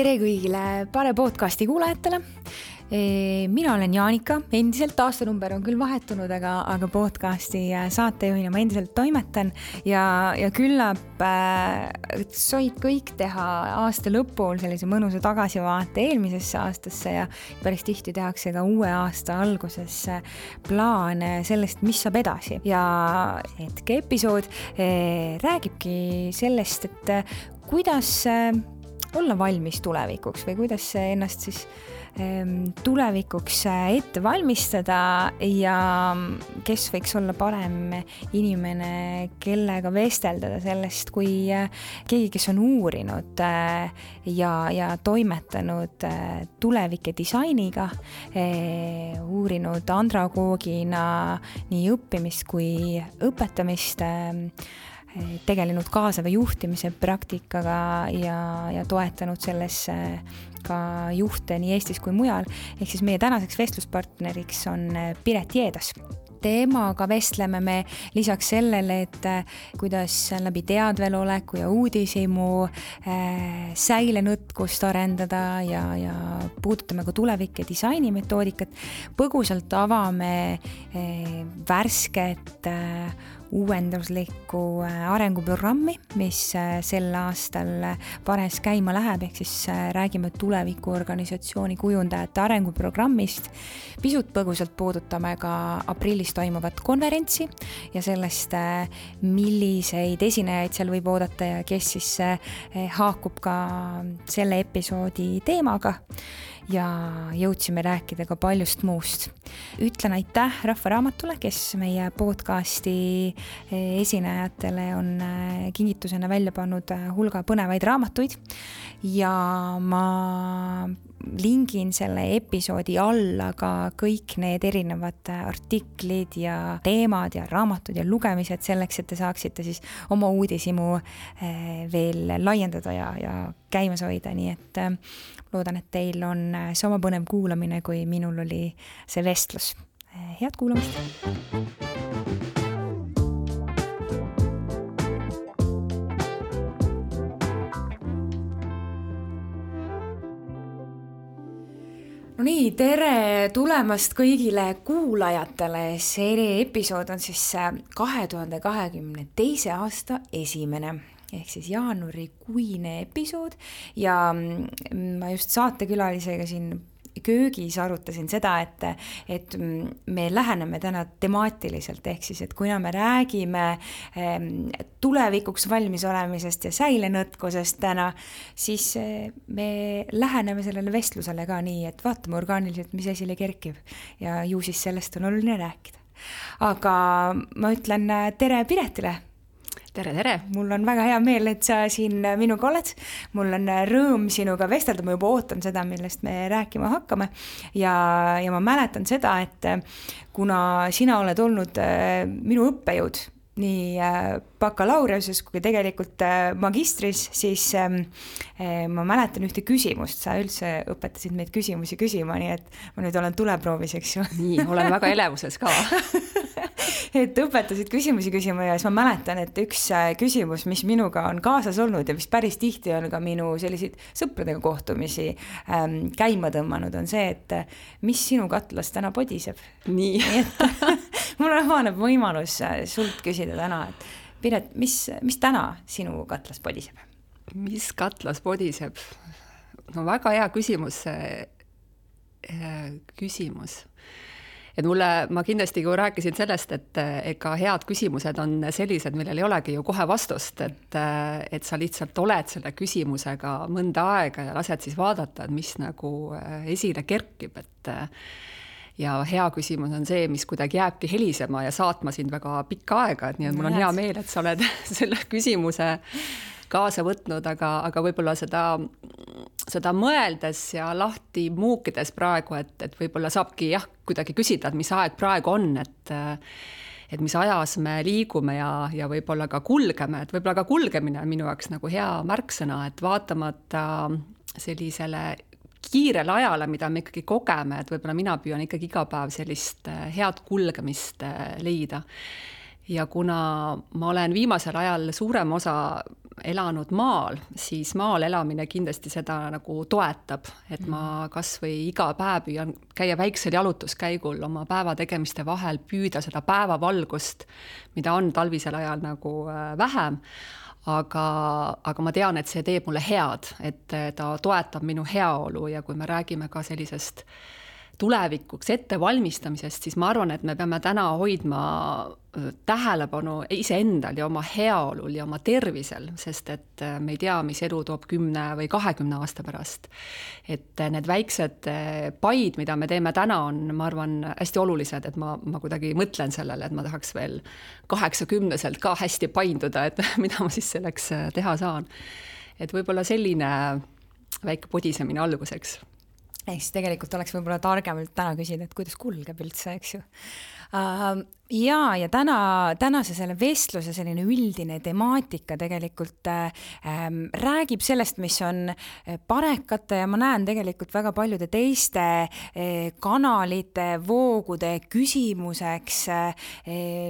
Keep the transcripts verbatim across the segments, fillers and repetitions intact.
Tere kõigile Pare podcasti kuulajatele. Mina olen Jaanika, endiselt aastanumber on küll vahetunud, aga, aga podcasti saatejuhina ma endiselt toimetan ja, ja küllap äh, soid kõik teha aasta lõpul sellise mõnusa tagasivaate eelmisesse aastasse ja päris tihti tehakse ka uue aasta alguses plaane sellest, mis saab edasi. Ja hetke episood äh, räägibki sellest, et äh, kuidas äh, olla valmis tulevikuks või kuidas ennast siis tulevikuks ette valmistada ja kes võiks olla parem inimene, kellega vesteldada sellest, kui keegi, kes on uurinud ja, ja toimetanud tulevike disainiga, uurinud andragoogina nii õppimist kui õpetamist, tegelenud kaasava juhtimise praktikaga ja, ja toetanud selles ka juhte nii Eestis kui mujal. Ehk siis meie tänaseks vestluspartneriks on Piret Jeedas. Teemaga vestleme me lisaks sellele, et kuidas läbi teadveloleku ja uudishimu äh, säilenõtkust arendada ja, ja puudutame ka tulevike disainimetoodikat. Põgusalt avame äh, värsket äh, uuenduslikku arenguprogrammi, mis sel aastal Pares käima läheb, ehk siis räägime tulevikuorganisatsiooni kujundajate arenguprogrammist. Pisut põgusalt puudutame ka aprillis toimuvat konverentsi ja sellest, milliseid esinejaid seal võib oodata ja kes siis haakub ka selle episoodi teemaga. Ja jõudsime rääkida ka paljust muust. Ütlen aitäh Rahvaraamatule, kes meie podcasti esinejatele on kingitusena välja pannud hulga põnevaid raamatuid ja ma lingin selle episoodi alla ka kõik need erinevad artiklid ja teemad ja raamatud ja lugemised selleks, et te saaksite siis oma uudishimu veel laiendada ja, ja käimas hoida, nii et loodan, et teil on sama põnev kuulamine, kui minul oli see vestlus. Head kuulamist! No nii, tere tulemast kõigile kuulajatele. See episood on siis kahe tuhande kahekümne teise aasta esimene. Ehk siis jaanuarikuine episood ja ma just saatekülalisega siin köögis arutasin seda, et, et me läheneme täna temaatiliselt, ehk siis, et kuna me räägime tulevikuks valmis olemisest ja säilenõtkusest täna, siis me läheneme sellele vestlusele ka nii, et vaatame orgaaniliselt, mis esile kerkib ja ju siis sellest on oluline rääkida. Aga ma ütlen tere Piretile! Tere, tere! Mul on väga hea meel, et sa siin minuga oled. Mul on rõõm sinuga vestelda, ma juba ootan seda, millest me rääkima hakkame. Ja, ja ma mäletan seda, et kuna sina oled olnud minu õppejõud nii bakalaureuses kui tegelikult magistris, siis ma mäletan ühte küsimust. Sa üldse õpetasid meid küsimusi küsima, nii et ma nüüd olen tuleproovis, eks ju. Nii, olen väga elevuses ka. Et õpetasid küsimusi küsima ja siis ma mäletan, et üks küsimus, mis minuga on kaasas olnud ja mis päris tihti on ka minu selliseid sõpradega kohtumisi ähm, käima tõmmanud, on see, et mis sinu katlas täna podiseb. Nii. Nii et mul avaneb võimalus sult küsida täna, et Piret, mis, mis täna sinu katlas podiseb? Mis katlas podiseb? No väga hea küsimus. Küsimus. Et mulle, ma kindlasti kui rääkisin sellest, et ega head küsimused on sellised, millel ei olegi ju kohe vastust, et, et sa lihtsalt oled selle küsimusega mõnda aega ja lased siis vaadata, et mis nagu esile kerkib, et ja hea küsimus on see, mis kuidagi jääbki helisema ja saatma sind väga pikka aega, et nii et mul on hea meel, et sa oled selle küsimuse kaasa võtnud, aga, aga võib-olla seda, seda mõeldes ja lahti muukides praegu, et, et võib-olla saabki jah, kuidagi küsida, et mis aeg praegu on, et, et mis ajas me liigume ja, ja võib-olla ka kulgeme, et võib-olla ka kulgemine on minu jaoks nagu hea märksõna, et vaatamata sellisele kiirele ajale, mida me ikkagi kogeme, et võib-olla mina püüan ikkagi iga päev sellist head kulgemist leida. Ja kuna ma olen viimasel ajal suurem osa elanud maal, siis maal elamine kindlasti seda nagu toetab, et ma kas või iga päev püüan käia väiksel jalutuskäigul oma päeva tegemiste vahel, püüda seda päevavalgust, mida on talvisel ajal nagu vähem, aga, aga ma tean, et see teeb mulle head, et ta toetab minu heaolu ja kui me räägime ka sellisest tulevikuks ettevalmistamisest, siis ma arvan, et me peame täna hoidma tähelepanu iseendal ja oma heaolul ja oma tervisel, sest et me ei tea, mis elu toob kümne või kahekümne aasta pärast. Et need väiksed paid, mida me teeme täna, on, ma arvan, hästi olulised, et ma, ma kuidagi mõtlen sellele, et ma tahaks veel kaheksakümneselt ka hästi painduda, et mida ma siis selleks teha saan. Et võib-olla selline väike podisemine alguseks. Ehk siis tegelikult oleks võib-olla targemalt täna küsida, et kuidas kulgeb üldse, eks ju. Uh, ja, ja täna, tänase selle vestluse selline üldine temaatika tegelikult ähm, räägib sellest, mis on parekate ja ma näen tegelikult väga paljude teiste äh, kanalite, voogude küsimuseks. Äh,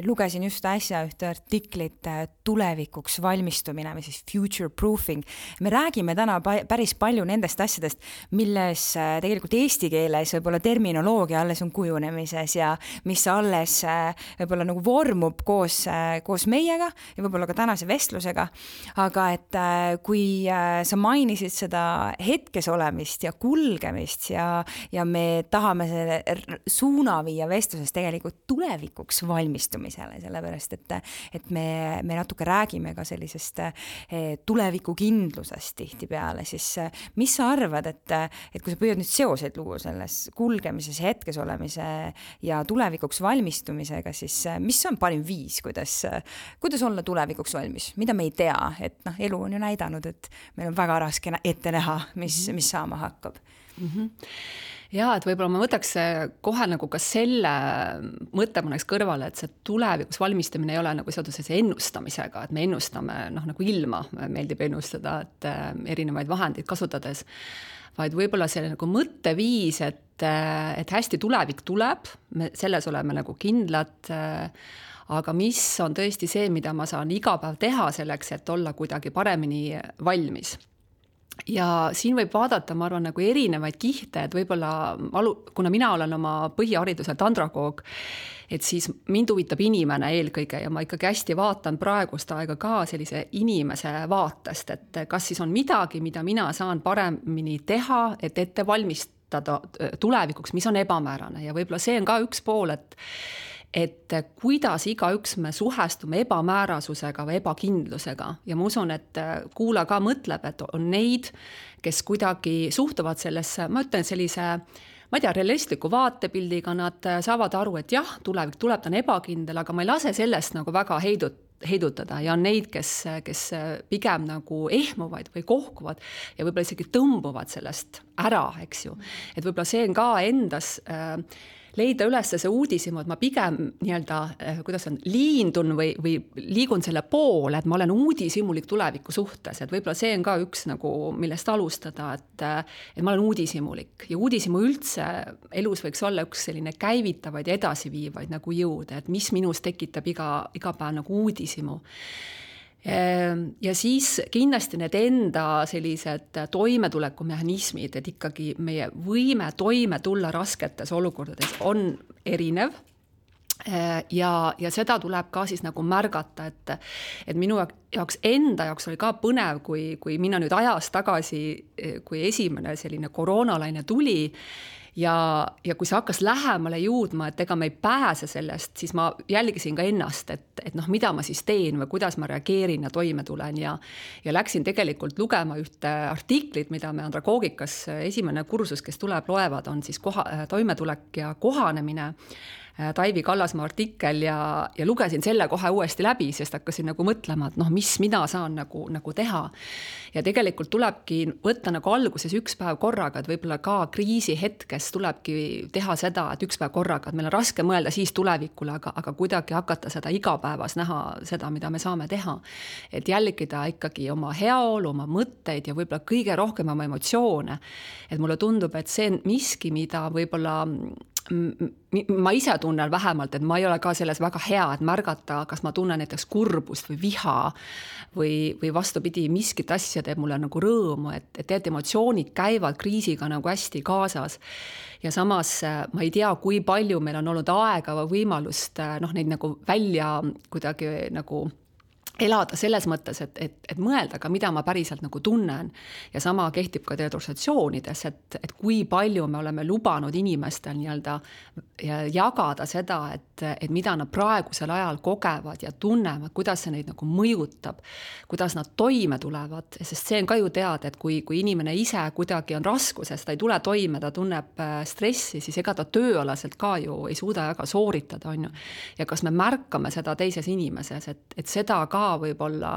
lugesin just äsja ühte artiklit äh, tulevikuks valmistumine või siis future proofing. Me räägime täna pa- päris palju nendest asjadest, milles äh, tegelikult eesti keeles võib-olla terminoloogia alles on kujunemises ja mis alles äh, võib-olla nagu vormub koos, koos meiega ja võib-olla ka tänase vestlusega. Aga et kui sa mainisid seda hetkes olemist ja kulgemist ja, ja me tahame selle suuna viia vestluses tegelikult tulevikuks valmistumisele, sellepärast et, et me, me natuke räägime ka sellisest tulevikukindlusest tihtipeale, siis mis sa arvad, et, et kui sa püüad nüüd seoseid luua selles kulgemises, hetkes olemise ja tulevikuks valmistumisega, siis mis on parim viis, kuidas, kuidas olla tulevikuks valmis, mida me ei tea, et noh, elu on ju näidanud, et meil on väga raske ette näha, mis, mis saama hakkab. Mm-hmm. Ja, et võib-olla ma võtaks kohe nagu ka selle mõtte mõneks kõrvale, et see tulevikuks valmistamine ei ole nagu seotud sellise ennustamisega, et me ennustame noh, nagu ilma, meeldib ennustada, et erinevaid vahendeid kasutades, vaid võib-olla selle nagu mõtteviis, et, et hästi tulevik tuleb, me selles oleme nagu kindlad, aga mis on tõesti see, mida ma saan iga päev teha selleks, et olla kuidagi paremini valmis. Ja siin võib vaadata, ma arvan, nagu erinevaid kihte, et võib-olla, kuna mina olen oma põhihariduselt andragoog, et siis mind huvitab inimene eelkõige ja ma ikkagi hästi vaatan praegust aega ka sellise inimese vaatest, et kas siis on midagi, mida mina saan paremini teha, et ette valmistada tulevikuks, mis on ebamäärane ja võib-olla see on ka üks pool, et et kuidas igaüks me suhestume ebamäärasusega või ebakindlusega ja ma usun, et kuula ka mõtleb, et on neid, kes kuidagi suhtuvad sellesse, ma ütlen sellise ma ei tea, realistliku vaatepildiga, nad saavad aru, et jah, tulevik tuleb, ta on ebakindel, aga ma ei lase sellest nagu väga heidut, heidutada ja on neid, kes, kes pigem nagu ehmuvad või kohkuvad ja võib-olla isegi tõmbuvad sellest ära, eks ju. Et võib-olla see on ka endas äh, leida üles see uudisimu, et ma pigem nii-öelda, kuidas on, liindun või, või liigun selle poole, et ma olen uudisimulik tuleviku suhtes, et võib-olla see on ka üks nagu, millest alustada, et, et ma olen uudisimulik ja uudisimu üldse elus võiks olla üks selline käivitavaid ja edasiviivaid nagu jõud, et mis minus tekitab iga, iga päev nagu uudisimu. Ja siis kindlasti need enda sellised toimetulekumehhanismid, et ikkagi meie võime toime tulla rasketes olukordades on erinev ja, ja seda tuleb ka siis nagu märgata, et, et minu jaoks enda jaoks oli ka põnev, kui, kui minna nüüd ajas tagasi, kui esimene selline koroonalaine tuli ja, ja kui see hakkas lähemale jõudma, et ega me ei pääse sellest, siis ma jälgisin ka ennast, et, et noh, mida ma siis teen või kuidas ma reageerin ja toime tulen ja, ja läksin tegelikult lugema ühte artiklit, mida me andragoogikas esimene kursus, kes tuleb, loevad, on siis koha, toimetulek ja kohanemine, Taivi Kallasmaa artikkel ja, ja lugesin selle kohe uuesti läbi, sest hakkasin nagu mõtlema, et noh, mis mina saan nagu, nagu teha. Ja tegelikult tulebki võtta nagu alguses üks päev korraga, et võib-olla ka kriisi hetkes tulebki teha seda, et üks päev korraga, et meil on raske mõelda siis tulevikule, aga, aga kuidagi hakata seda igapäevas näha seda, mida me saame teha. Et jälgida ikkagi oma heaolu, oma mõtteid ja võib-olla kõige rohkem oma emotsioone. Et mulle tundub, et see on miski, mida võib-olla ma ise tunnen vähemalt, et ma ei ole ka selles väga hea, et märgata, kas ma tunnen näiteks kurbust või viha või, või vastupidi, miskit asja teeb mulle nagu rõõmu, et, et need emotsioonid käivad kriisiga nagu hästi kaasas. Ja samas ma ei tea, kui palju meil on olnud aega või võimalust noh, neid nagu välja kuidagi nagu elada selles mõttes, et, et, et mõelda ka, mida ma päriselt nagu tunnen. Ja sama kehtib ka organisatsioonides, et, et kui palju me oleme lubanud inimestel nii-öelda jagada seda, et, et mida nad praegusel ajal kogevad ja tunnevad, kuidas see neid nagu mõjutab, kuidas nad toime tulevad, sest see on ka ju teada, et kui, kui inimene ise kuidagi on raskuses, ta ei tule toime, ta tunneb stressi, siis ega ta tööalaselt ka ju ei suuda väga sooritada, on ju. Ja kas me märkame seda teises inimeses, et, et seda ka võib-olla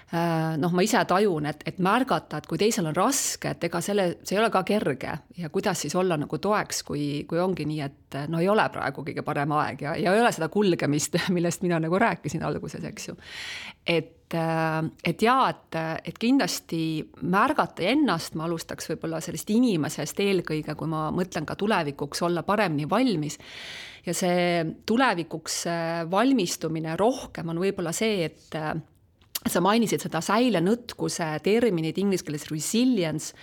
noh, ma ise tajun, et, et märgata, et kui teisel on raske, et ega selle, see ei ole ka kerge ja kuidas siis olla nagu toeks, kui, kui ongi nii, et no ei ole praegu kõige parem aeg ja, ja ei ole seda kulgemist, millest mina nagu rääkisin alguses, eks ju. Et, et jaa, et, et kindlasti märgata ennast, ma alustaks võib-olla sellest inimesest eelkõige, kui ma mõtlen ka tulevikuks olla paremini valmis. Ja see tulevikuks valmistumine rohkem on võib-olla see, et sa mainisid seda säilenõtkuse terminid inglise keeles resilience,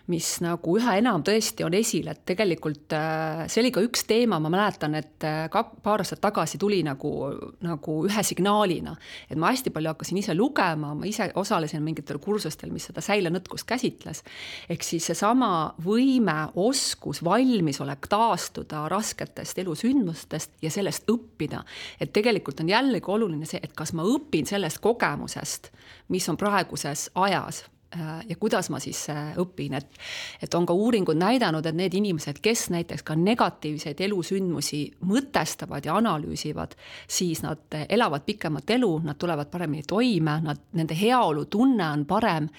mis nagu üha enam tõesti on esil, et tegelikult see oli ka üks teema, ma mäletan, et paar aastat tagasi tuli nagu, nagu ühe signaalina, et ma hästi palju hakkasin ise lugema, ma ise osalesin mingitel kursustel, mis seda säilenõtkust käsitles, ehk siis seesama võime, oskus, valmisolek taastuda rasketest elusündmustest ja sellest õppida, et tegelikult on jällegi oluline see, et kas ma õpin sellest kogemusest, mis on praeguses ajas ja kuidas ma siis õpin, et, et on ka uuringud näidanud, et need inimesed, kes näiteks ka negatiivseid elusündmusi mõtestavad ja analüüsivad, siis nad elavad pikemat elu, nad tulevad paremini toime, nad, nende heaolu tunne on parem,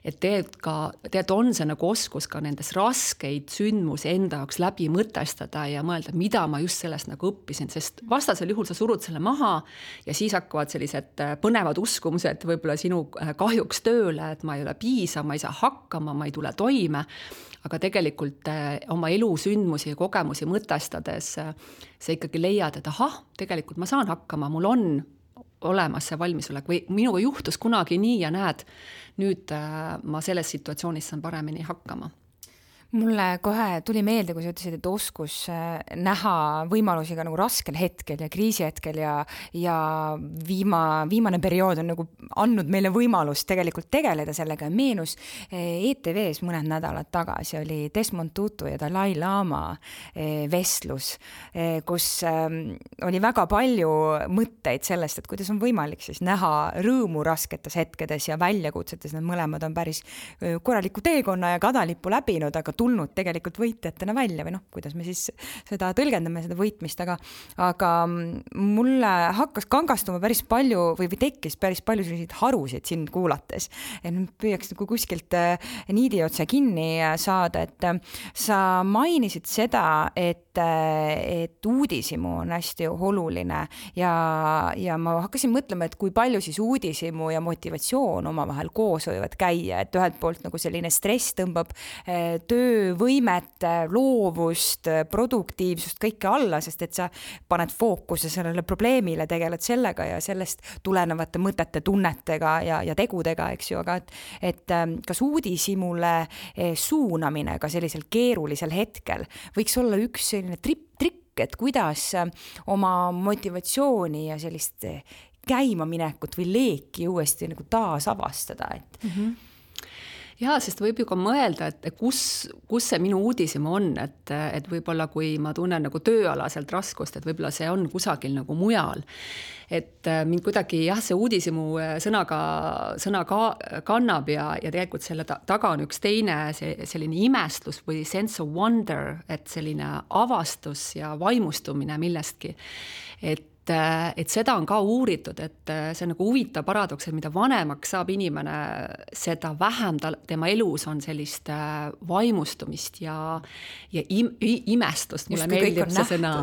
et tegelikult ka, tegelikult on see nagu oskus ka nendes raskeid sündmusi enda jaoks läbi mõtestada ja mõelda, mida ma just sellest nagu õppisin, sest vastasel juhul sa surud selle maha ja siis hakkavad sellised põnevad uskumused võib-olla sinu kahjuks tööle, et ma ei ole piisa, ma ei saa hakkama, ma ei tule toime, aga tegelikult oma elusündmusi ja kogemusi mõtestades sa ikkagi leiad, et ahah, tegelikult ma saan hakkama, mul on olemas see valmisolek või minuga juhtus kunagi nii ja näed, nüüd ma selles situatsioonis saan paremini hakkama. Mulle kohe tuli meelde, kui sa ütlesid, et oskus näha võimalusi ka nagu raskel hetkel ja kriisi hetkel ja, ja viima, viimane periood on nagu andnud meile võimalust tegelikult tegeleda sellega. Meenus E T V-s mõned nädalad tagasi oli Desmond Tutu ja Dalai Lama vestlus, kus oli väga palju mõtteid sellest, et kuidas on võimalik siis näha rõõmu rasketes hetkedes ja väljakutsetes. Need mõlemad on päris korraliku teekonna ja kadalippu läbinud, aga tulnud tegelikult võitjatena välja või noh, kuidas me siis seda tõlgendame, seda võitmist, aga, aga mulle hakkas kangastuma päris palju või, või tekkis päris palju selliseid harusid sind kuulates. Püüaks nagu kuskilt niidi otsa kinni saada, et sa mainisid seda, et, et uudishimu on hästi oluline ja, ja ma hakkasin mõtlema, et kui palju siis uudishimu ja motivatsioon omavahel koos võivad käia, et ühelt poolt nagu selline stress tõmbab töö võimet, loovust, produktiivsust, kõike alla, sest et sa paned fookuse sellele probleemile, tegeled sellega ja sellest tulenevate mõtete, tunnetega ja, ja tegudega, eks ju, aga et, et kas uudishimule suunamine ka sellisel keerulisel hetkel võiks olla üks selline trip, trikk, et kuidas oma motivatsiooni ja sellist käimaminekut või leeki uuesti nagu taas avastada, et mm-hmm. Jaa, sest võib ju ka mõelda, et kus, kus see minu uudishimu on, et, et võib-olla kui ma tunnen nagu tööalaselt raskust, et võib-olla see on kusagil nagu mujal. Et mind kuidagi jah, see uudishimu sõnaga, sõna ka, kannab ja, ja tegelikult selle taga on üks teine see, selline imestlus või sense of wonder, et selline avastus ja vaimustumine millestki. Et et seda on ka uuritud, et see on nagu huvitav paradoks, et mida vanemaks saab inimene, seda vähem ta, tema elus on sellist vaimustumist ja, ja im, imestust. Mulle meeldib see sõna.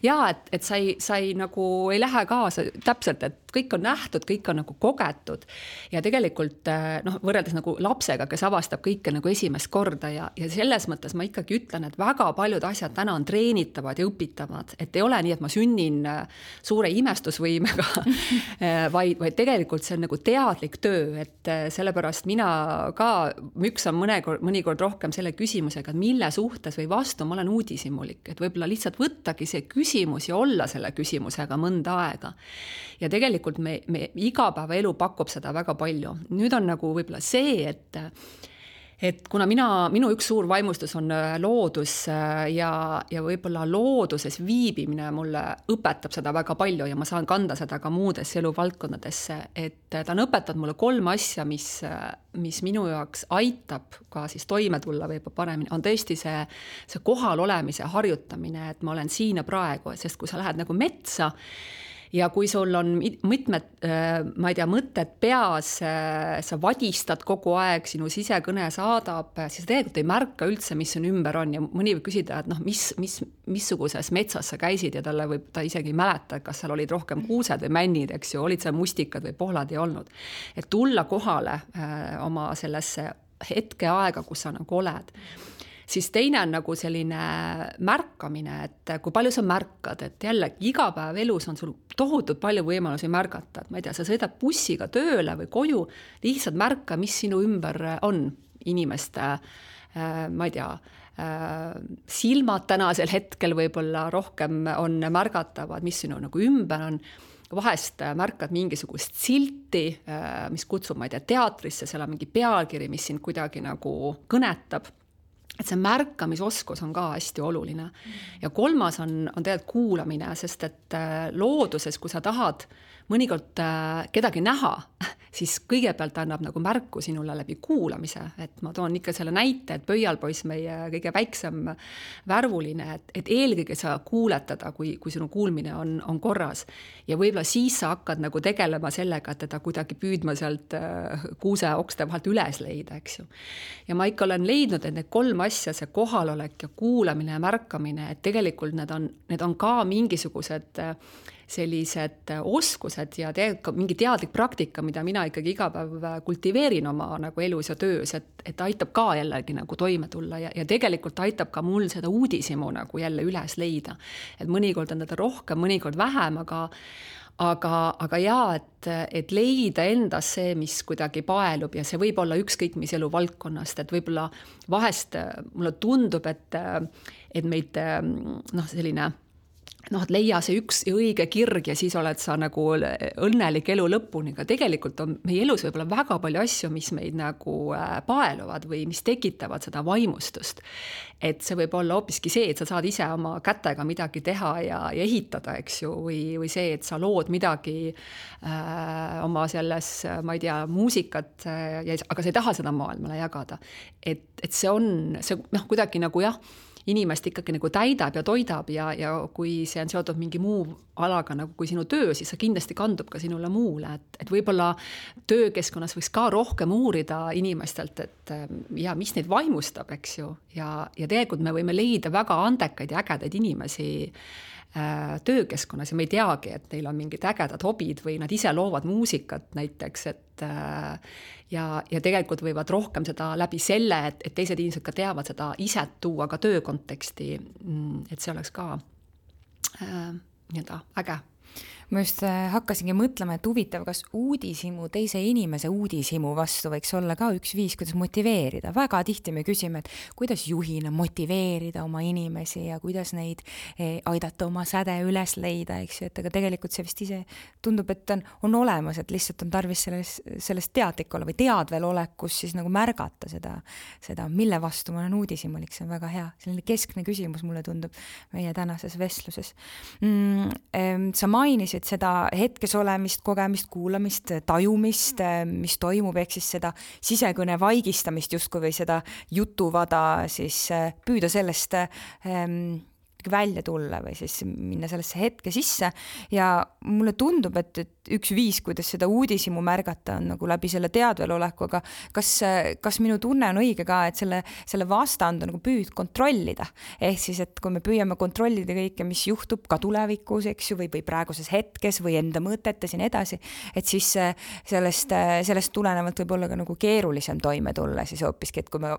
Ja, et, et sa, ei, sa ei, nagu, ei lähe kaasa täpselt, et kõik on nähtud, kõik on nagu kogetud ja tegelikult noh, võrreldes nagu lapsega, kes avastab kõike nagu esimest korda ja, ja selles mõttes ma ikkagi ütlen, et väga paljud asjad täna on treenitavad ja õpitavad, et ei ole nii, et ma sünnin suure imestusvõimega, vaid, vaid tegelikult see on nagu teadlik töö, et sellepärast mina ka müksan mõnekord, mõnikord rohkem selle küsimusega, et mille suhtes või vastu ma olen uudishimulik, et võib-olla lihtsalt võttagi see küsimus ja olla selle küsimusega mõnda aega. Ja tegelikult me, me igapäevaelu pakub seda väga palju. Nüüd on nagu võib-olla see, et, et kuna mina, minu üks suur vaimustus on loodus ja, ja võib-olla looduses viibimine mulle õpetab seda väga palju ja ma saan kanda seda ka muudesse eluvaldkondadesse, et ta on õpetanud mulle kolm asja, mis, mis minu jaoks aitab ka siis toime tulla või paremini, on tõesti see, see kohal olemise harjutamine, et ma olen siin ja praegu, sest kui sa lähed nagu metsa, ja kui sul on mitmed, ma ei tea, mõtted peas, sa vadistad kogu aeg, sinu sisekõne saadab, siis tegelikult ei märka üldse, mis sun ümber on ja mõni võib küsida, et noh, mis, mis, missuguses metsas sa käisid ja talle võib ta isegi mäleta, kas seal olid rohkem kuused või männid, eks ju, olid seal mustikad või pohlad ei olnud. Et tulla kohale oma sellesse hetke aega, kus sa nagu oled. Siis teine on nagu selline märkamine, et kui palju sa märkad, et jälle iga päev elus on sul tohutult palju võimalusi märgata, et ma ei tea, sa sõidad bussiga tööle või koju, lihtsalt märka, mis sinu ümber on inimeste, ma ei tea, silmad tänasel hetkel võib-olla rohkem on märgatavad, mis sinu nagu ümber on, vahest märkad mingisugust silti, mis kutsub, ma ei tea, teatrisse, seal on mingi pealkiri, mis sind kuidagi nagu kõnetab. Et see märkamisoskus on ka hästi oluline. Ja kolmas on, on tegelikult kuulamine, sest et looduses, kui sa tahad mõnikord kedagi näha, siis kõigepealt annab nagu märku sinule läbi kuulamise. Et ma toon ikka selle näite, et pöialpoiss meie kõige väiksem värvuline, et, et eelkõige sa kuuled teda, kui, kui sinu kuulmine on, on korras. Ja võib-olla siis sa hakkad nagu tegelema sellega, et teda kuidagi püüdma sealt kuuse okste vahelt üles leida, eks ju. Ja ma ikka olen leidnud, et need kolm asja, see kohalolek ja kuulamine ja märkamine, et tegelikult need on, need on ka mingisugused sellised oskused ja tegelikult mingi teadlik praktika, mida mina ikkagi iga päev kultiveerin oma nagu elus ja töös, et, et aitab ka jällegi nagu toime tulla ja, ja tegelikult aitab ka mul seda uudishimu nagu jälle üles leida. Et mõnikord on teda rohkem, mõnikord vähem, aga Aga, aga jaa, et, et leida endas see, mis kuidagi paelub ja see võib olla ükskõik mis elu valdkonnast, et võib-olla vahest mulle tundub, et, et meid noh, selline noh, et leia see üks õige kirg ja siis oled sa nagu õnnelik elu lõpuni, aga tegelikult on meie elus võib-olla väga palju asju, mis meid nagu paeluvad või mis tekitavad seda vaimustust. Et see võib olla hoopiski see, et sa saad ise oma kätega midagi teha ja, ja ehitada, eks ju, või, või see, et sa lood midagi äh, oma selles, ma ei tea, muusikat, ja, aga sa ei taha seda maailmale jagada. Et, et see on, see noh, kuidagi nagu jah, inimest ikkagi nagu täidab ja toidab ja, ja kui see on seotud mingi muu alaga nagu kui sinu töö, siis see kindlasti kandub ka sinule muule, et, et võib-olla töökeskkonnas võiks ka rohkem uurida inimestelt, et ja mis neid vaimustab, eks ju, ja, ja tegelikult me võime leida väga andekaid ja ägedaid inimesi äh, töökeskkonnas ja me ei teagi, et neil on mingid ägedad hobid või nad ise loovad muusikat näiteks, et äh, ja, ja tegelikult võivad rohkem seda läbi selle, et, et teised inimesed ka teavad seda iset tuua ka töökonteksti, et see oleks ka äh, nii-öelda äge. Ma just hakkasingi mõtlema, et huvitav, kas uudishimu, teise inimese uudishimu vastu võiks olla ka üks viis, kuidas motiveerida. Väga tihti me küsime, et kuidas juhina motiveerida oma inimesi ja kuidas neid aidata oma säde üles leida, eks ju, et aga tegelikult see vist ise tundub, et on, on olemas, et lihtsalt on tarvis selles, selles teadlik olla või teadvel olekus siis nagu märgata seda, seda, mille vastu ma olen uudishimulik, see on väga hea. Selline keskne küsimus mulle tundub meie tänases vestluses. Mm, sa mainisid seda hetkes olemist, kogemist, kuulamist, tajumist, mis toimub, ehk siis seda sisekõne vaigistamist justkui või seda jutuvada, siis püüda sellest ähm, välja tulla või siis minna sellesse hetke sisse ja mulle tundub, et, et üks viis, kuidas seda uudishimu märgata on nagu läbi selle teadveloleku, aga kas, kas minu tunne on õige ka, et selle, selle vastand on nagu püüd kontrollida. Ehk siis, et kui me püüame kontrollida kõike, mis juhtub ka tulevikus, eks ju, või, või praeguses hetkes või enda mõtetes ja nii edasi, et siis sellest, sellest tulenevalt võib olla ka nagu keerulisem toime tulla siis hoopiski, et kui me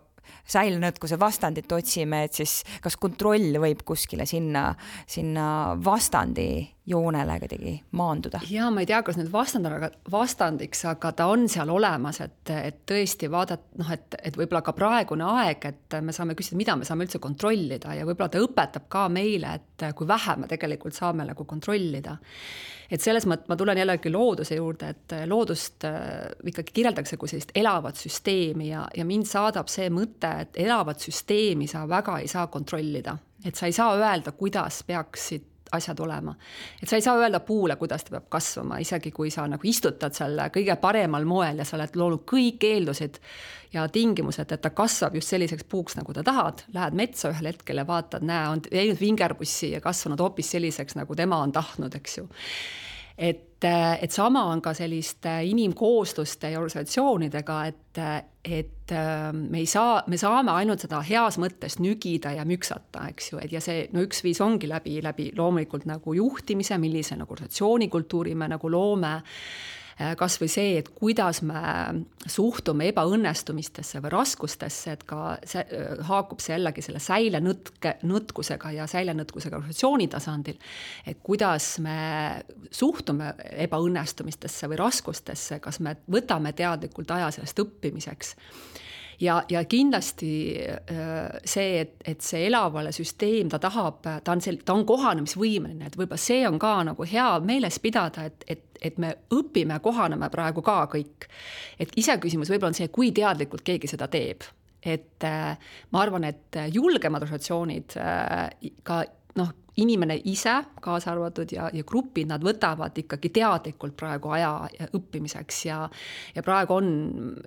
säilenõtkuse vastandit otsime, et siis kas kontroll võib kuskile sinna, sinna vastandi joonele kuidagi maanduda? Ja ma ei tea, kas nüüd vastand on vastandiks, aga ta on seal olemas, et, et tõesti vaadata, noh, et, et võib-olla ka praegune aeg, et me saame küsida, mida me saame üldse kontrollida ja võib-olla ta õpetab ka meile, et kui vähe me tegelikult saame nagu kontrollida. Et selles mõttes ma tulen jällegi looduse juurde, et loodust ikkagi kirjeldatakse kui sellist elavat süsteemi ja, ja mind saadab see mõte, et elavat süsteemi sa väga ei saa kontrollida. Et sa ei saa öelda, kuidas peaksid asjad olema. Et sa ei saa öelda puule, kuidas ta peab kasvama, isegi kui sa nagu istutad selle kõige paremal moel ja sa oled loonud kõik eeldused ja tingimused, et ta kasvab just selliseks puuks, nagu ta tahad. Lähed metsa ühel hetkel ja vaatad, näe, on teinud vingerbussi ja kasvanud hoopis selliseks, nagu tema on tahtnud, eks ju. Et, et sama on ka selliste inimkoosluste ja organisatsioonidega, et, et me, ei saa, me saame ainult seda heas mõttes nügida ja müksata, eks ju, et ja see no üks viis ongi läbi, läbi loomulikult nagu juhtimise, millise nagu organisatsioonikultuuri me nagu loome, kas või see, et kuidas me suhtume ebaõnnestumistesse või raskustesse, et ka see, haakub see jällegi selle säilenõtke, nõtkusega ja säilenõtkusega organisatsiooni tasandil, et kuidas me suhtume ebaõnnestumistesse või raskustesse, kas me võtame teadlikult aja sellest õppimiseks. Ja, ja kindlasti see, et, et see elavale süsteem, ta tahab, ta on, sel, ta on kohanemisvõimeline, et võib-olla see on ka nagu hea meeles pidada, et, et, et me õpime, kohaneme praegu ka kõik. Et ise küsimus võib-olla on see, kui teadlikult keegi seda teeb. Et ma arvan, et julgemad organisatsioonid ka noh, inimene ise kaasa arvatud ja, ja grupid, nad võtavad ikkagi teadlikult praegu aja õppimiseks ja, ja praegu on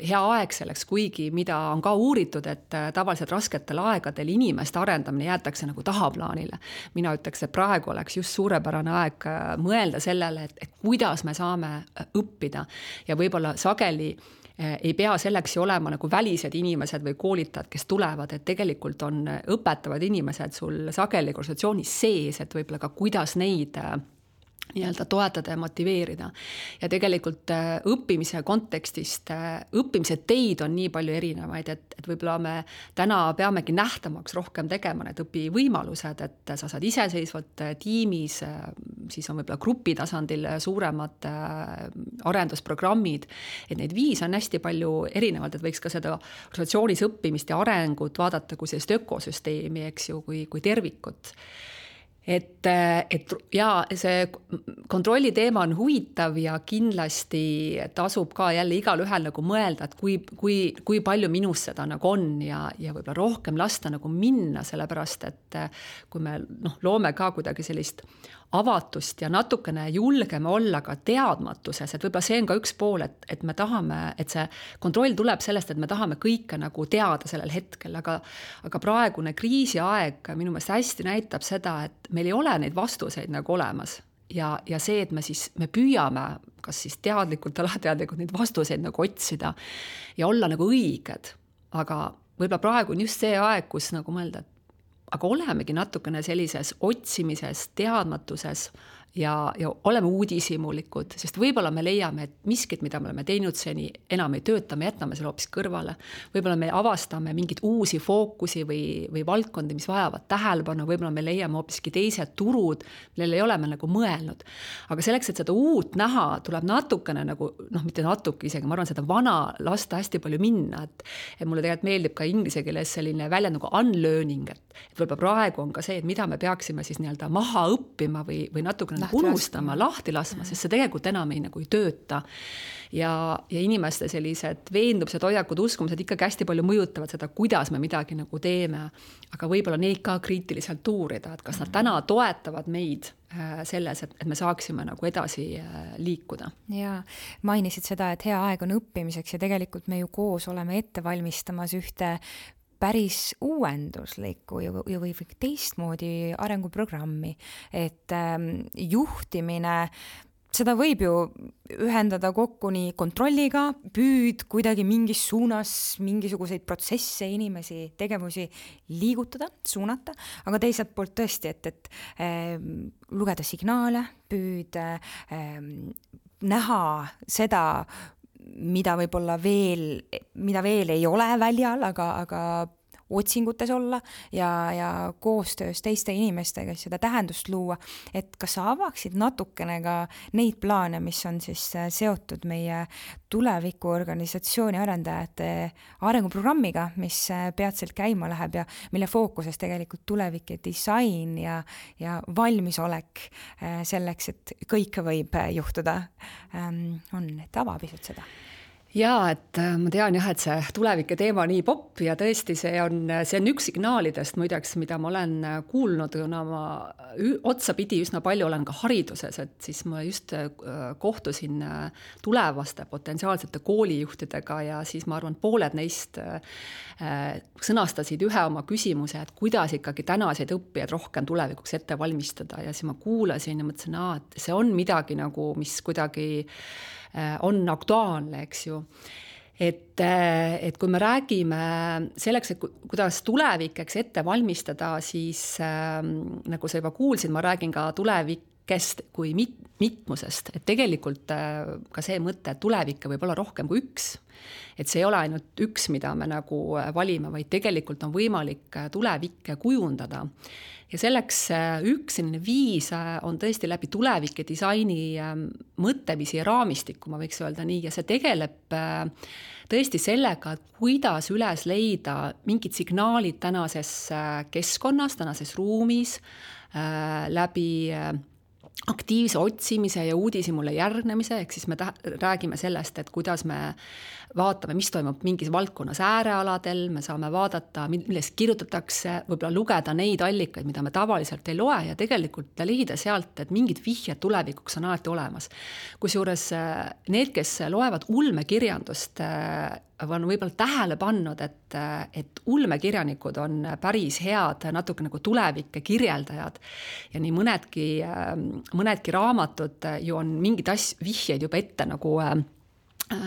hea aeg selleks, kuigi mida on ka uuritud, et tavaliselt rasketel aegadel inimeste arendamine jäetakse nagu tahaplaanile. Mina ütleks, et praegu oleks just suurepärane aeg mõelda sellele, et, et kuidas me saame õppida ja võib-olla sageli ei pea selleks ju olema nagu välised inimesed või koolitajad, kes tulevad, et tegelikult on õpetavad inimesed sul sageli organisatsioonis sees, et võib-olla ka kuidas neid nii-öelda toetada ja motiveerida. Ja tegelikult õppimise kontekstist, õppimise teid on nii palju erinevaid, et, et võib-olla me täna peamegi nähtamaks rohkem tegema need õpivõimalused, et sa saad iseseisvalt tiimis, siis on võib-olla grupi tasandil suuremad arendusprogrammid, et neid viis on hästi palju erinevalt, et võiks ka seda organisatsioonis õppimist ja arengut vaadata kui sellist ökosüsteemi, eks ju, kui, kui tervikut. Et, et ja see kontrolli teema on huvitav ja kindlasti tasub ka jälle igal ühel nagu mõelda, et kui, kui, kui palju minus seda nagu on ja, ja võib-olla rohkem lasta nagu minna, sellepärast et kui me noh, loome ka kuidagi sellist avatust ja natukene julgeme olla ka teadmatuses, et võib-olla see on ka üks pool, et, et me tahame, et see kontroll tuleb sellest, et me tahame kõike nagu teada sellel hetkel, aga, aga praegune kriisiaeg minu meelest hästi näitab seda, et meil ei ole neid vastuseid nagu olemas ja, ja see, et me siis me püüame kas siis teadlikult, alateadlikult neid vastuseid nagu otsida ja olla nagu õiged, aga võib-olla praegu on just see aeg, kus nagu mõelda, et aga olemegi natukene sellises otsimises, teadmatuses ja, ja oleme uudishimulikud, sest võib-olla me leiame, et miskit, mida me oleme teinud seni, enam ei tööta, me jätame selle hoopis kõrvale. Võib-olla me avastame mingid uusi fookusi või, või valdkondi, mis vajavad tähelepanu, võib-olla me leiame hoopiski teised turud, millel ei ole me nagu mõelnud. Aga selleks, et seda uut näha, tuleb natukene nagu, noh, mitte natuke isegi, ma arvan, seda vana lasta hästi palju minna, et, et mulle tegelikult meeldib ka inglise keeles selline välja nagu unlearning, et, et võib-olla praegu on ka see, et mida me peaksime siis nii-öelda maha õppima või, või natukene unustama, lahti laskma, sest see tegelikult enam ei, nagu ei tööta. Ja, ja inimeste sellised veendubused, hoiakud, uskumused ikkagi hästi palju mõjutavad seda, kuidas me midagi nagu teeme. Aga võib-olla neid ka kriitiliselt uurida, et kas nad täna toetavad meid selles, et, et me saaksime nagu edasi liikuda. Ja mainisid seda, et hea aeg on õppimiseks ja tegelikult me ju koos oleme ette valmistamas ühte päris uuenduslikku ja või teistmoodi arenguprogrammi, et juhtimine, seda võib ju ühendada kokku nii kontrolliga, püüd kuidagi mingis suunas mingisuguseid protsesse, inimesi, tegevusi liigutada, suunata, aga teiselt poolt tõesti, et, et äh, lugeda signaale, püüd äh, näha seda, mida võib-olla veel, mida veel ei ole väljal, aga, aga otsingutes olla ja, ja koostöös teiste inimestega seda tähendust luua, et kas sa avaksid natukene ka neid plaane, mis on siis seotud meie tuleviku organisatsiooni arendajate arenguprogrammiga, mis peatselt käima läheb ja mille fookuses tegelikult tulevik ja disain ja, ja valmisolek selleks, et kõike võib juhtuda, on, et ava pisut seda. Jaa, et ma tean jah, et see tulevike teema on nii popp ja tõesti see on, see on üks signaalidest muideks, mida ma olen kuulnud, kuna ma otsapidi üsna palju olen ka hariduses, et siis ma just kohtusin tulevaste potentsiaalsete koolijuhtidega ja siis ma arvan, pooled neist sõnastasid ühe oma küsimuse, et kuidas ikkagi tänaseid õppijaid rohkem tulevikuks ette valmistada ja siis ma kuulasin ja mõtlesin, aa, et see on midagi nagu, mis kuidagi on aktuaalne, eks ju. Et, et kui me räägime selleks, et kuidas tulevikeks ette valmistada, siis äh, nagu sa juba kuulsid, ma räägin ka tulevikest kui mit, mitmusest, et tegelikult äh, ka see mõte, et tulevikke võib olla rohkem kui üks. Et see ei ole ainult üks, mida me nagu valime, vaid tegelikult on võimalik tulevikke kujundada. Ja selleks üks viis on tõesti läbi tulevike disaini mõtteviisi ja raamistikku, ma võiks öelda nii, ja see tegeleb tõesti sellega, kuidas üles leida mingid signaalid tänases keskkonnas, tänases ruumis, läbi aktiivse otsimise ja uudishimule järgnemise, ehk siis me ta- räägime sellest, et kuidas me vaatame, mis toimub mingis valdkonnas äärealadel, me saame vaadata, millest kirjutatakse, võib-olla lugeda neid allikaid, mida me tavaliselt ei loe ja tegelikult leida sealt, et mingid vihjed tulevikuks on alati olemas. Kusjuures need, kes loevad ulmekirjandust, on võib-olla tähele pannud, et, et ulmekirjanikud on päris head natuke nagu tulevikke kirjeldajad ja nii mõnedki, mõnedki raamatud ju on mingid as- vihjeid juba ette nagu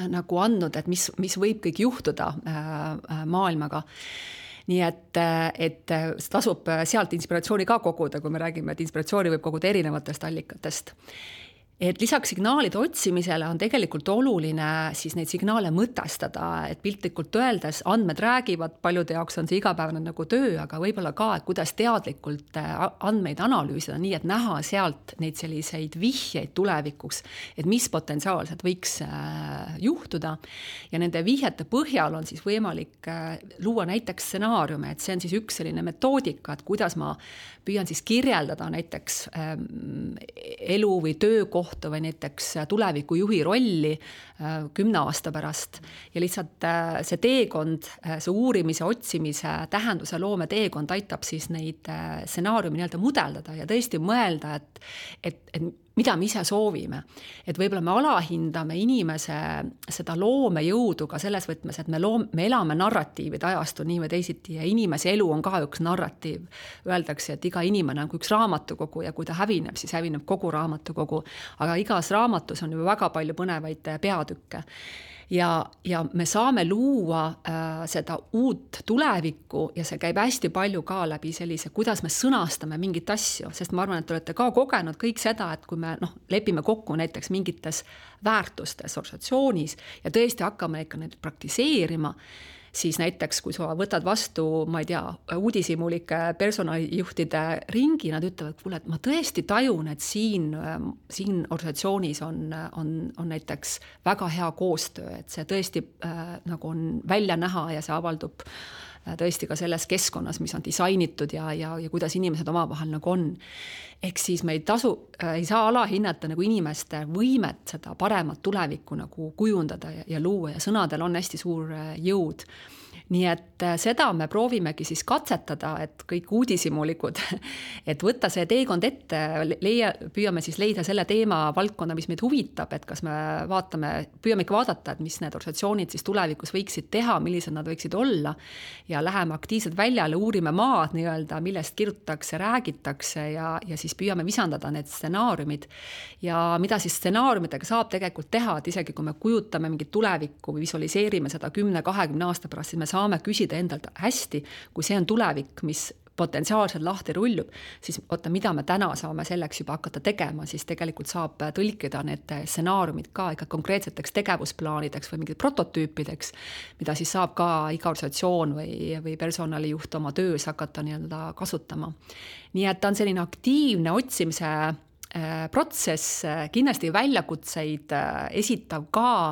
nagu andnud, et mis, mis võib kõik juhtuda maailmaga. Nii et, et tasub sealt inspiratsiooni ka koguda, kui me räägime, et inspiratsiooni võib koguda erinevatest allikatest. Et lisaks signaalide otsimisele on tegelikult oluline siis neid signaale mõtestada, et piltlikult öeldes andmed räägivad, paljude jaoks on see igapäevane nagu töö, aga võib-olla ka, et kuidas teadlikult andmeid analüüsida, nii et näha sealt neid selliseid vihjeid tulevikuks, et mis potentsiaalselt võiks juhtuda. Ja nende vihjete põhjal on siis võimalik luua näiteks stsenaariume, et see on siis üks selline metoodika, et kuidas ma püüan siis kirjeldada näiteks elu või töökohta või näiteks tuleviku juhi rolli kümne aasta pärast ja lihtsalt see teekond, see uurimise, otsimise, tähenduse loome teekond aitab siis neid stsenaariumi nii-öelda mudeldada ja tõesti mõelda, et, et, et mida me ise soovime. Et võib-olla me alahindame inimese seda loomejõudu ka selles võtmes, et me, loom, me elame narratiivide ajastu nii või teisiti ja inimese elu on ka üks narratiiv. Öeldakse, et iga inimene on üks raamatukogu ja kui ta hävineb, siis hävineb kogu raamatukogu. Aga igas raamatus on ju väga palju põnevaid peatükke. Ja, ja me saame luua äh, seda uut tulevikku ja see käib hästi palju ka läbi sellise, kuidas me sõnastame mingit asju, sest ma arvan, et te olete ka kogenud kõik seda, et kui me noh, lepime kokku näiteks mingites väärtustes organisatsioonis ja tõesti hakkame ikka neid praktiseerima, siis näiteks, kui sa võtad vastu, ma ei tea, uudishimulike personalijuhtide ringi, nad ütlevad, kuule, et ma tõesti tajun, et siin, siin organisatsioonis on, on, on näiteks väga hea koostöö, et see tõesti äh, nagu on välja näha ja see avaldub äh, tõesti ka selles keskkonnas, mis on disainitud ja, ja, ja kuidas inimesed omavahel nagu on. Ehk siis me ei tasu, äh, ei saa alahinnata nagu inimeste võimet seda paremat tulevikku nagu kujundada ja, ja luua ja sõnadel on hästi suur äh, jõud. nii et seda me proovimegi siis katsetada, et kõik uudishimulikud, et võtta see teekond ette, leia, püüame siis leida selle teema valdkonna, mis meid huvitab, et kas me vaatame, püüame ikka vaadata, et mis need organisatsioonid siis tulevikus võiksid teha, millised nad võiksid olla ja läheme aktiivselt väljale, uurime maad nii-öelda, millest kirjutatakse, räägitakse ja, ja siis püüame visandada need stsenaariumid. Ja mida siis stsenaariumitega saab tegelikult teha, et isegi kui me kujutame mingit tulevikku või visualiseerime seda kümne kahekümne aasta pärast, siis me saame küsida endalt hästi, kui see on tulevik, mis potentsiaalselt lahti rullub, siis oota, mida me täna saame selleks juba hakata tegema, siis tegelikult saab tõlkida need stsenaariumid ka ikka konkreetseteks tegevusplaanideks või mingid prototüüpideks, mida siis saab ka iga organisatsioon või, või personalijuht oma töös hakata nii-öelda kasutama. Nii et ta on selline aktiivne otsimise protsess, kindlasti väljakutseid esitav ka,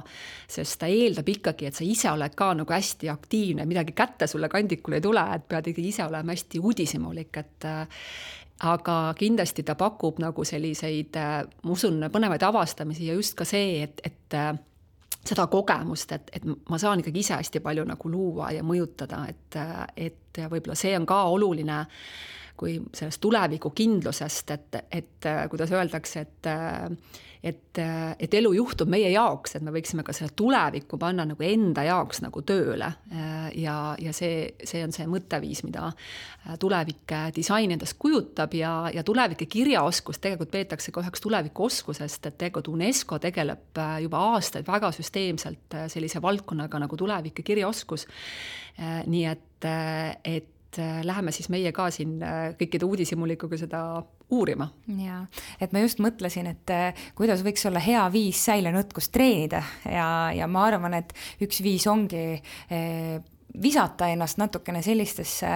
sest ta eeldab ikkagi, et sa ise oled ka nagu hästi aktiivne, midagi kätte sulle kandikul ei tule, et pead ikkagi ise olema hästi uudishimulik, et aga kindlasti ta pakub nagu selliseid, ma usun, põnevaid avastamisi ja just ka see, et, et seda kogemust, et, et ma saan ikkagi ise hästi palju nagu luua ja mõjutada, et, et võib-olla see on ka oluline kui sellest tuleviku kindlusest, et, et kuidas öeldakse, et, et, et elu juhtub meie jaoks, et me võiksime ka selle tuleviku panna nagu enda jaoks nagu tööle. Ja, ja see, see on see mõtteviis, mida tulevike disain endast kujutab ja, ja tulevike kirjaoskus tegelikult peetakse ka üheks tulevikuoskusest, et tegelikult UNESCO tegeleb juba aastaid väga süsteemselt sellise valdkonnaga nagu tulevike kirjaoskus. Nii et, et läheme siis meie ka siin kõikide uudishimulikuga seda uurima. Ja, et ma just mõtlesin, et kuidas võiks olla hea viis säilenõtkust treenida ja, ja ma arvan, et üks viis ongi visata ennast natukene sellistesse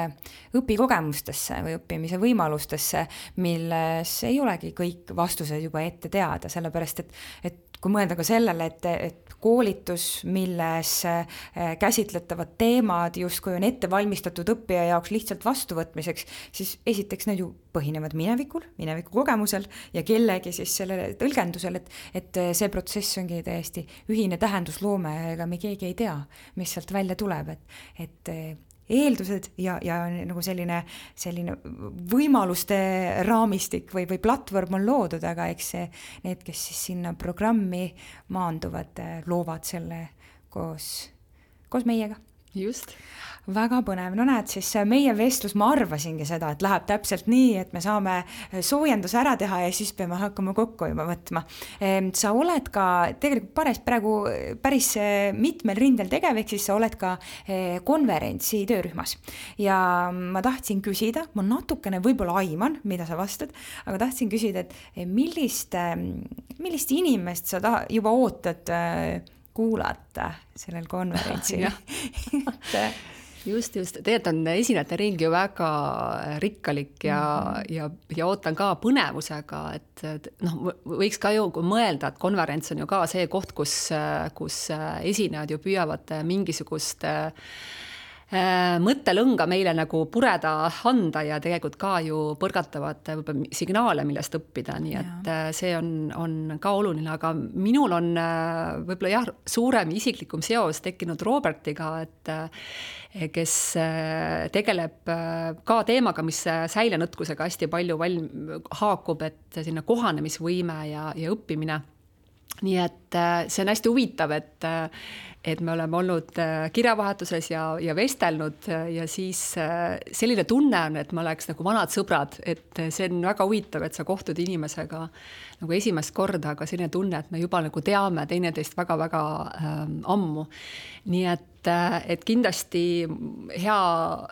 õpikogemustesse või õppimise võimalustesse, milles ei olegi kõik vastused juba ette teada, sellepärast et, et kui mõelda ka sellele, et, et koolitus, milles käsitletavad teemad justkui on ette valmistatud õppija jaoks lihtsalt vastuvõtmiseks, siis esiteks need ju põhinevad minevikul, mineviku kogemusel ja kellegi siis sellele tõlgendusel, et, et see protsess ongi täiesti ühine tähendusloome, ega me keegi ei tea, mis sealt välja tuleb, et, et eeldused ja, ja nagu selline, selline võimaluste raamistik või, või platvorm on loodud, aga eks see, need, kes siis sinna programmi maanduvad, loovad selle koos, koos meiega. Just. Väga põnev. No näed, siis meie vestlus, ma arvasingi seda, et läheb täpselt nii, et me saame soojendus ära teha ja siis peame hakkama kokku juba võtma. Sa oled ka tegelikult pares praegu päris mitmel rindel tegev, ehk siis sa oled ka konverentsi töörühmas. Ja ma tahtsin küsida, ma natukene võib-olla aiman, mida sa vastad, aga tahtsin küsida, et millist, millist inimest sa ta, juba ootad kuulata sellel konverentsil? Just, just. Tegelikult on esinejate ring ju väga rikkalik ja, mm-hmm. ja, ja ootan ka põnevusega, et, et noh, võiks ka ju mõelda, et konverents on ju ka see koht, kus, kus esinejad ju püüavad mingisugust mõttelõnga meile nagu pureda anda ja tegelikult ka ju põrgatavad signaale, millest õppida, nii et ja. See on, on ka oluline, aga minul on võib-olla jah, suurem isiklikum seos tekkinud Robertiga, et kes tegeleb ka teemaga, mis säilenõtkusega hästi palju valm, haakub, et sinna kohanemisvõime ja, ja õppimine. Nii et see on hästi huvitav, et, et me oleme olnud kirjavahetuses ja, ja vestelnud ja siis selline tunne on, et me oleks nagu vanad sõbrad, et see on väga huvitav, et sa kohtud inimesega nagu esimest korda, aga selline tunne, et me juba nagu teame teineteist väga-väga ähm, ammu. Nii et, et kindlasti hea,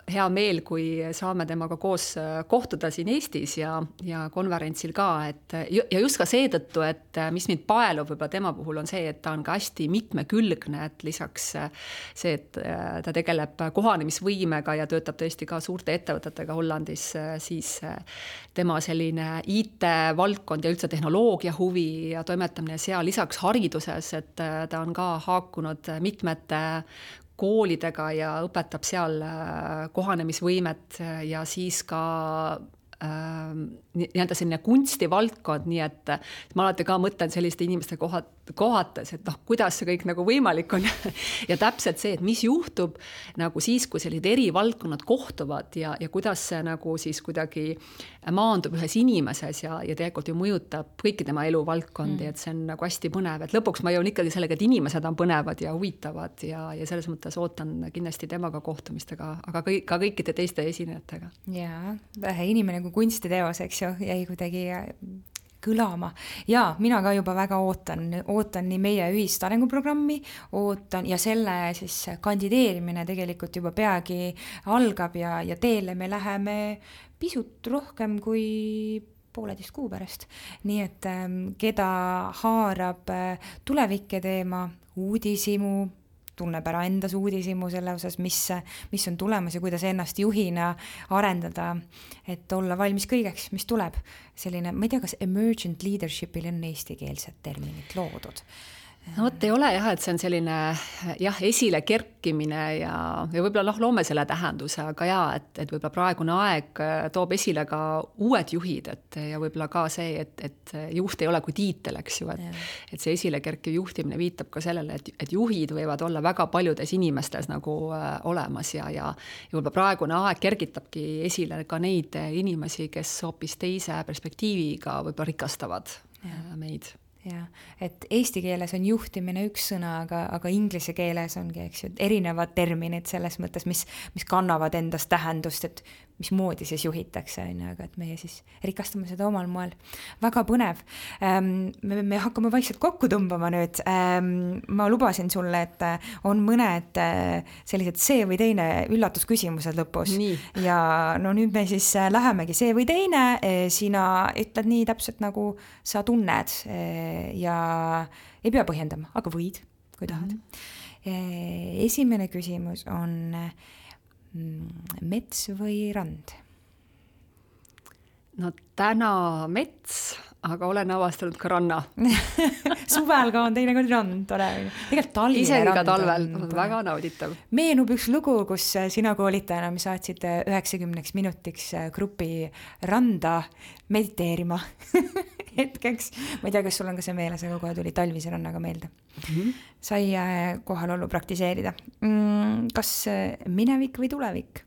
hea meel, kui saame temaga koos kohtuda siin Eestis ja, ja konverentsil ka, et ja just ka seetõttu, et mis mind paelub võib-olla tema puhul on see, et ta on ka hästi mitmekülgne, et lisaks see, et ta tegeleb kohanemisvõimega ja töötab tõesti ka suurte ettevõtetega Hollandis, siis tema selline I T-valdkond ja üldse tehnoloogia huvi ja toimetamine seal lisaks hariduses, et ta on ka haakunud mitmete koolidega ja õpetab seal kohanemisvõimet ja siis ka äh, nii-öelda selline kunstivaldkond, nii et ma alati ka mõtlen selliste inimeste kohad, kohates, et noh, kuidas see kõik nagu võimalik on ja täpselt see, et mis juhtub nagu siis, kui sellised eri valdkonnad kohtuvad ja, ja kuidas see nagu siis kuidagi maandub ühes inimeses ja, ja tegelikult ju mõjutab kõiki tema eluvaldkondi, mm. et see on nagu hästi põnev, et lõpuks ma jõun ikkagi sellega, et inimesed on põnevad ja huvitavad ja, ja selles mõttes ootan kindlasti temaga kohtumistega, aga kõik, ka kõikide teiste esinejatega. Jaa, inimene kui kunstiteos, eks ju, jäi kuidagi kõlama. Ja mina ka juba väga ootan, ootan nii meie ühist arenguprogrammi, ootan ja selle siis kandideerimine tegelikult juba peagi algab ja, ja teele me läheme pisut rohkem kui pooleteist kuu pärast. Nii et keda haarab tulevikke teema, uudisimu, tunneb ära endas uudisimu selle osas, mis, mis on tulemas ja kuidas ennast juhina arendada, et olla valmis kõigeks, mis tuleb. Selline, ma ei tea, kas emergent leadership'il on eestikeelsed terminid loodud. No vot ei ole jah, et see on selline jah, esile kerkimine ja, ja võib-olla noh, loome selle tähenduse, aga jaa, et, et võib-olla praegune aeg toob esile ka uued juhid, et ja võib-olla ka see, et, et juht ei ole kui tiitel, eks ju, et, et see esile kerkiv juhtimine viitab ka sellele, et, et juhid võivad olla väga paljudes inimestes nagu äh, olemas ja, ja, ja võib-olla praegune aeg kergitabki esile ka neid inimesi, kes hoopis teise perspektiiviga võib-olla rikastavad ja. meid. Ja, et eesti keeles on juhtimine üks sõna, aga, aga inglise keeles ongi, eks ju, erinevad terminid selles mõttes, mis, mis kannavad endast tähendust, et mismoodi siis juhitakse, aga et meie siis rikastame seda omal moel. Väga põnev. Me, me hakkame vaikselt kokku tõmbama nüüd. Ma lubasin sulle, et on mõned sellised see või teine üllatusküsimused lõpus. Nii. Ja no nüüd me siis lähemegi see või teine. Sina ütled nii täpselt nagu sa tunned ja ei pea põhjendama, aga võid, kui tahad. Mm-hmm. Esimene küsimus on mets või rand? No täna mets, aga olen avastanud ka ranna. Suvel ka on teinekord rand, tore. Tegelikult talvine Isegi rand ka talvel, on väga nauditav. Meenub üks lugu, kus sina koolitajana me saatsid üheksakümneks minutiks grupi randa mediteerima hetkeks. Ma ei tea, kas sul on ka see meeles, aga kohe tuli talvise rannaga meelde. Mm-hmm. Sai kohalollu praktiseerida. Kas minevik või tulevik?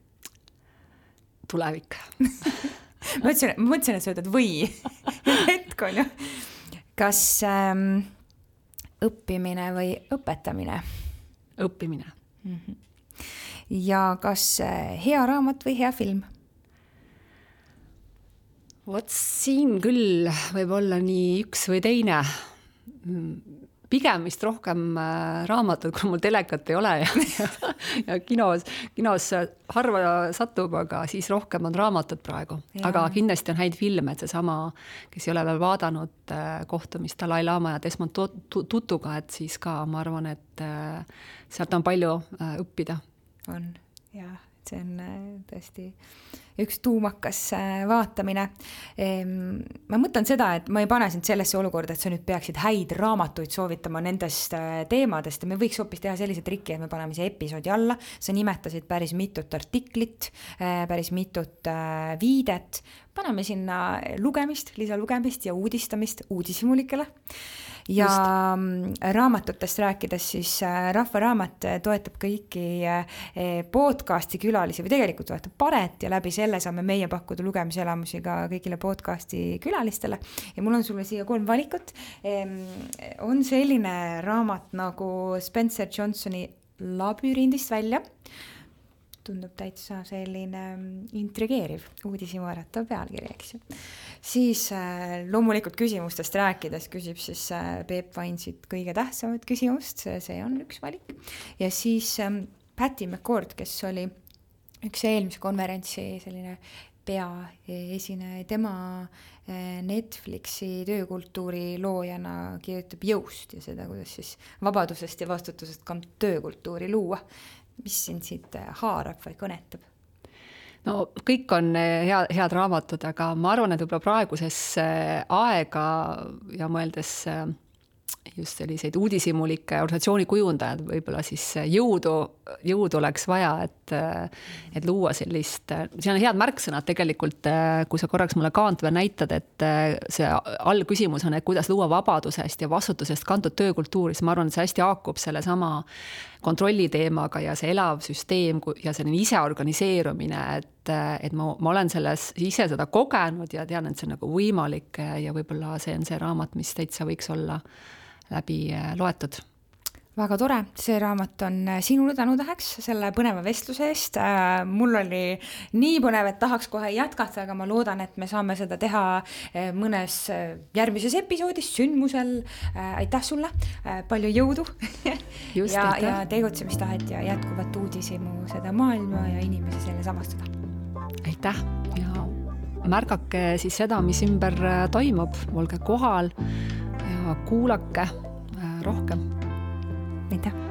Tulevik. ma mõtlesin, ma mõtlesin, et sa ütled või. Hetk on ju. Kas ähm, õppimine või õpetamine? Õppimine. Mm-hmm. Ja kas hea raamat või hea film? Vot siin küll võib olla nii üks või teine. Pigem vist rohkem raamatud, kui mul telekat ei ole ja, ja, ja kinos, kinos harva satub, aga siis rohkem on raamatud praegu. Ja. Aga kindlasti on häid filme, et see sama, kes ei ole veel vaadanud kohtumist Dalai Lama ja Desmond Tutuga, et siis ka ma arvan, et sealt on palju õppida. On, jah. See on tõesti üks tuumakas vaatamine. Ma mõtlen seda, et ma ei pane sind sellesse olukorda, et sa nüüd peaksid häid raamatuid soovitama nendest teemadest ja me võiks hoopis teha sellise triki, et me paneme siia episoodi alla. Sa nimetasid päris mitut artiklit, päris mitut viidet. Paneme sinna lugemist, lisalugemist ja uudistamist uudishimulikele. Ja Just. Raamatutest rääkides siis Rahva Raamat toetab kõiki podcasti külalisi või tegelikult toetab Paret ja läbi selle saame meie pakkuda lugemiselamusi ka kõigile podcasti külalistele. Ja mul on sulle siia kolm valikut. On selline raamat nagu Spencer Johnsoni Labürindist välja. Tundub täitsa selline intrigeeriv, uudisimu äratav pealkiri, eks ju. Siis äh, loomulikult küsimustest rääkides küsib siis äh, Peep Vainsit kõige tähtsamat küsimust, see on üks valik. Ja siis ähm, Patty McCord, kes oli üks eelmise konverentsi selline peaesineja, tema äh, Netflixi töökultuuri loojana kirjutab jõust ja seda, kuidas siis vabadusest ja vastutusest ka töökultuuri luua. Mis sind siit haarab või kõnetab? No kõik on hea, head raamatud, aga ma arvan, et võib-olla praeguses aega ja mõeldes just selliseid uudishimulikke organisatsiooni kujundajad, võib-olla siis jõudu, jõudu oleks vaja, et, et luua sellist, siin on head märksõnad tegelikult, kui sa korraks mulle Kaantve näitad, et see allküsimus on, et kuidas luua vabadusest ja vastutusest kantud töökultuuri, siis ma arvan, et see hästi haakub selle sama kontrolli teemaga ja see elav süsteem ja selline ise organiseerumine, et, et ma, ma olen selles ise seda kogenud ja tean, et see on nagu võimalik ja võib-olla see on see raamat, mis täitsa võiks olla läbi loetud. Väga tore, see raamat on sinule tänutäheks selle põneva vestluse eest. Mul oli nii põnev, et tahaks kohe jätkata, aga ma loodan, et me saame seda teha mõnes järgmises episoodis, sündmusel. Aitäh sulle, palju jõudu Just, ja, ja tegutsemistahet ja jätkuvat uudisimu seda maailma ja inimesi selle samastada. Aitäh ja märgake siis seda, mis ümber toimub, olge kohal ja kuulake rohkem. Aitäh!